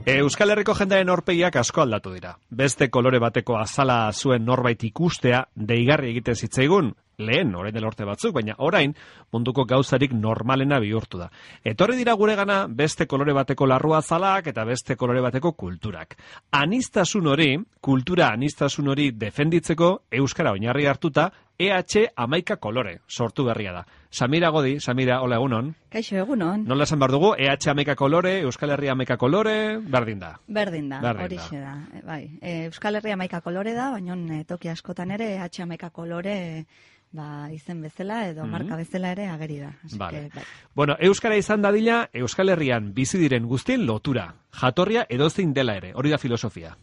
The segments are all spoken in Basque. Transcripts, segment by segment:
Euskal Herriko jendearen aurpegiak asko aldatu dira. Beste kolore bateko azala zuen norbait ikustea deigarri egiten zitzaigun, lehen orain dela urte batzuk, baina orain munduko gauzarik normalena bihurtu da. Etorri dira guregana beste kolore bateko larrua azalak eta beste kolore bateko kulturak. Kultura aniztasun hori defenditzeko euskara oinarri hartuta EH 11 kolore sortu berria da. Samira Godi, Samira, hola, egunon. Kaixo, egunon. Nola esan behar dugu, EH 11 kolore, Euskal Herria 11 kolore, berdin da. Berdin da, horixe da. Bai, Euskal Herria 11 kolore da, baina toki askotan ere EH 11 kolore izen bezala edo marka bezala ere ageri da. Vale. Bai. Bueno, euskara izan dadila, Euskal Herrian bizi diren guztien lotura. Jatorria edozein dela ere, hori da filosofia.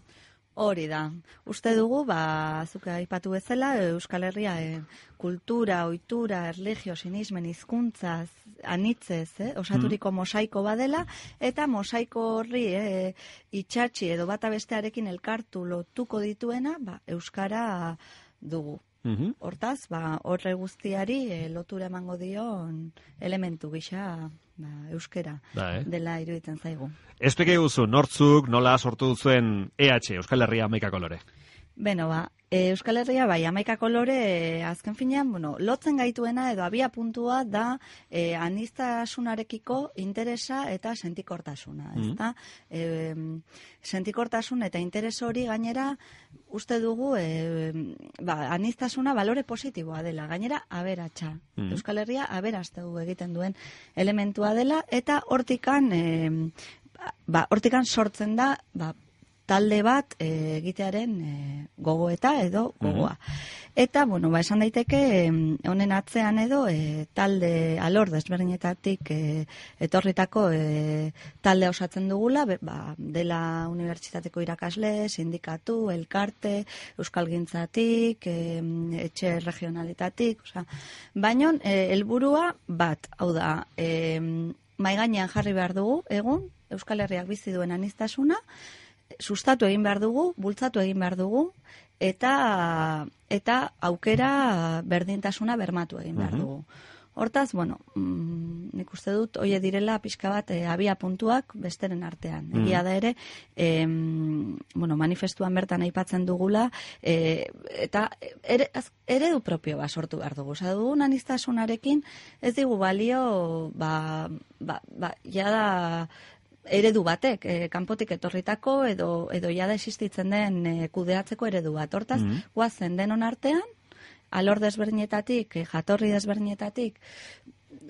Hori da. Uste dugu, zuk aipatu bezala, Euskal Herria kultura, ohitura, erlijio, sinismen, hizkuntzaz, anitzez, osaturiko mosaiko badela, eta mosaiko horri itxatxi edo bata bestearekin elkartu lotuko dituena, euskara dugu. Hortaz, horre guztiari lotura emango dion elementu gisa euskera dela iruditzen zaigu. Espeke guzu, nortzuk, nola sortu duzuen EH, Euskal Herria 11 kolore? Beno, Euskal Herria 11 kolore azken finean, lotzen gaituena edo abia puntua da aniztasunarekiko interesa eta sentikortasuna, ezta? Sentikortasun eta interes hori gainera uste dugu aniztasuna balore positiboa dela, gainera aberatsa. Euskal Herria aberastegu egiten duen elementua dela eta hortikan sortzen da talde bat egitearen gogoeta edo gogoa. Eta, esan daiteke, honen atzean edo talde alor desberdinetatik etorritako talde osatzen dugula, dela unibertsitateko irakasle, sindikatu, elkarte, euskalgintzatik, etxe regionalitatik, baina helburua bat, hau da, mahai gainean jarri behar dugu, egun, Euskal Herriak bizi duen aniztasuna, sustatu egin behar dugu, bultzatu egin behar dugu, eta aukera berdintasuna bermatu egin behar dugu. Hortaz, nik uste dut, oie direla pixka bat abia puntuak besteren artean. Egia da ere, manifestuan bertan aipatzen dugula, eta eredu propio sortu behar dugu. Osa dugun aniztasunarekin ez digu balio, jada eredu batek, kanpotik etorritako edo jada existitzen den kudeatzeko eredu bat. Hortaz, guazen denon artean, alor desberdinetatik, jatorri desberdinetatik,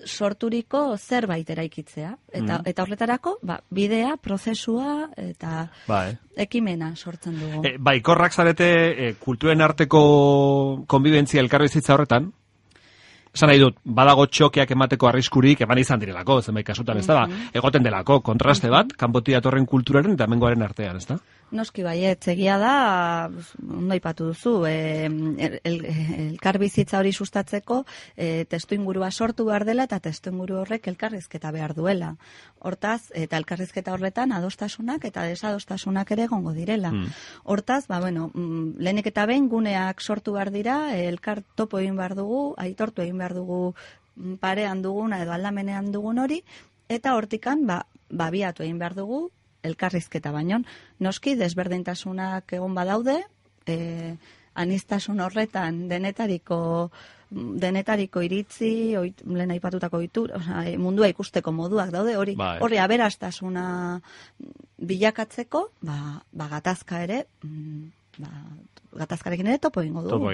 sorturiko zerbait eraikitzea. Eta horretarako, bidea, prozesua eta ekimena sortzen dugu. Baikorrak zarete kulturen arteko konbibentzia elkarbizitza horretan? Esan nahi dut, badago txokeak emateko arriskurik eman izan direlako, zenbait kasutan, ez da? Egoten delako, kontraste bat, kanpotik datorren kulturaren eta hemengoaren artean, ez da? Noski baiet, egia da, ondo aipatu duzu, elkarbizitza hori sustatzeko testuingurua sortu behar dela eta testuinguru horrek elkarrizketa behar duela. Hortaz, eta elkarrizketa horretan adostasunak eta desadostasunak ere egongo direla. Hortaz, lehenik eta behin guneak sortu behar dira, elkar topo egin behar dugu, aitortu egin behar dugu parean duguna edo aldamenean dugun hori, eta hortikan, biatu egin behar dugu, elkarrizketa baino, noski desberdintasunak egon badaude, aniztasun horretan denetariko iritzi, lehen aipatutako mundua ikusteko moduak daude, hori aberastasuna bilakatzeko, gatazka ere, gatazkarekin ere topo egingo dugu.